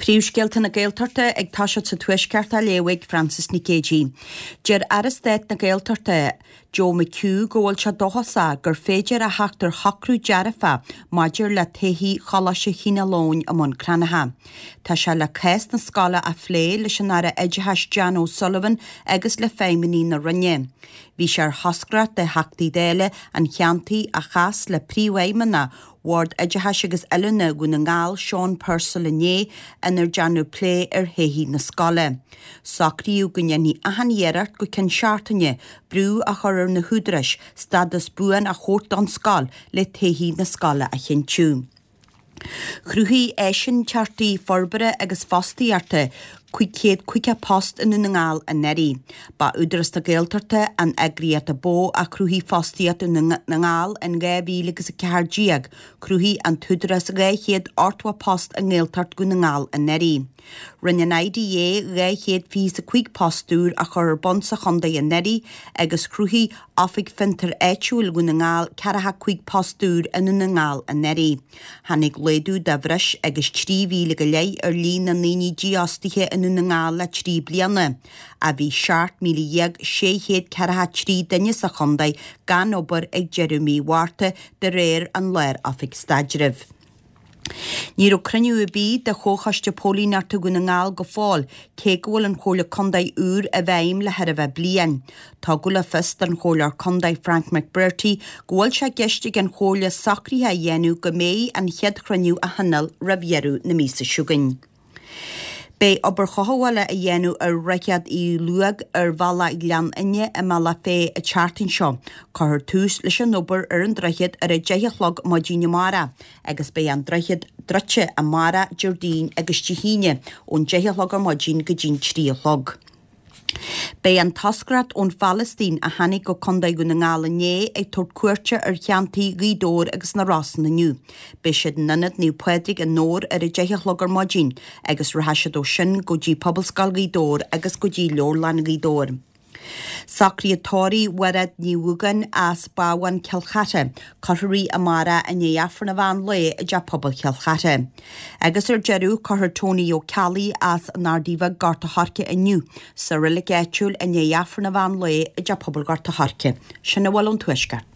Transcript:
Príomhscéalta na Gaeltachta ag toiseacht sa Tuaisceart á léamh ag Frances Nic Géadaigh. Deir Aire Stáit na Gaeltachta, Joe McHugh go bhfuil sé dóchasach gur féidir a theacht ar shocrú dearfach maidir le todhchaí Choláiste Chineál Eoghain i mBun Cranncha. Tá sé le cás na scoile a phlé leis an Aire Oideachais Jan O'Sullivan agus le feidhmeannaigh na Roinne. Bhí sé ar thoscaireacht de Theachtaí Dála an cheantair a chas le Príomhfheidhmeannach Bhord Oideachais agus Oiliúna Dhún na nGall, Sean Purcell inné, inar déanadh plé ar thodhchaí na scoile. Socraíodh go ndéanfaí achan iarracht go ceann seachtaine brú a chur ar na húdaráis stádas buan a thabhairt don scoil le todhchaí na scoile a chinntiú. Chruthaigh áisínteachtaí forbartha agus fostaíochta 550 post i nDún na nGall anuraidh. Ba Údarás na Gaeltachta an eagraíocht a ba mhó a chruthaigh fostaíocht i nDún na nGall in 2014. Chruthaigh an tÚdarás 280 post i nGaeltacht Dhún na nGall anuraidh. Rinne an IDA 225 post úr a chur ar bun sa chontae anuraidh agus chruthaigh Oifig Fiontair Áitiúil Dhún na nGall 45 post úr i nDún na nGall anuraidh. Tháinig laghdú de bhreis agus 3,000 go leith ar líon na ndaoine dífhostaithe i nDún na nGall le 3 bliana, ach bhí 17,643 duine sa chontae gan obair ag deireadh mí Mhárta de réir an Lár-Oifig Staidrimh. Ní raibh cruinniú ar bith de Chomhchoiste Póilíneachta Dhún na nGall go fóill, cé go bhfuil an Chomhairle Contae úr i bhfeidhm le chóir a bheith bliain. Tugadh le fios don Chomhairleoir Contae Frank McBrearty go bhfuil sé i gceist ag an Chomhairle socruithe a dhéanamh go mbeidh an chéad chruinniú á thionól roimh dheireadh na míosa seo chugainn. Beidh obair chothabhála á dhéanamh ar Dhroichead Uí Lúóg ar bhealach Ghleann Fhinne i mBealach Féich an tseachtain seo. Cuirfear tús leis an obair ar an droichead ar 10 a chlog maidin amárach agus beidh an droichead druidte amárach, Déardaoin agus Dé hAoine ón 10 a chlog ar maidin go dtí'n 3 a chlog. Beidh an toscaireacht ón Phalaistín a tháinig go Contae Dhún na nGall inné ag tabhairt cuairte ar cheantair Ghaoth Dobhair agus na Rosann inniu. Beidh siad in Ionad Naomh Pádraig i nDobhar ar 10 a chlog ar maidin agus rachaidh siad ó sin go dtí Pobalscoil Ghaoth Dobhair agus go dtí Leabharlann Ghaoth Dobhair. Socraíodh tórramh Mhairéad Ní Dhúgáin as Bábhán Cill Chartha. Cuirfear í amárach i ndiaidh Aifreann an mheán lae i dTeach Pobail Chill Chartha. Agus ar deireadh, cuirfear Tony Ó Ceallaigh as an Ardaidh Bheag, Gort a' Choirce inniu sa reilig áitiúil i ndiaidh Aifreann an mheán lae i dTeach Pobail Ghort a' Choirce. Sin a bhfuil ón Tuaisceart.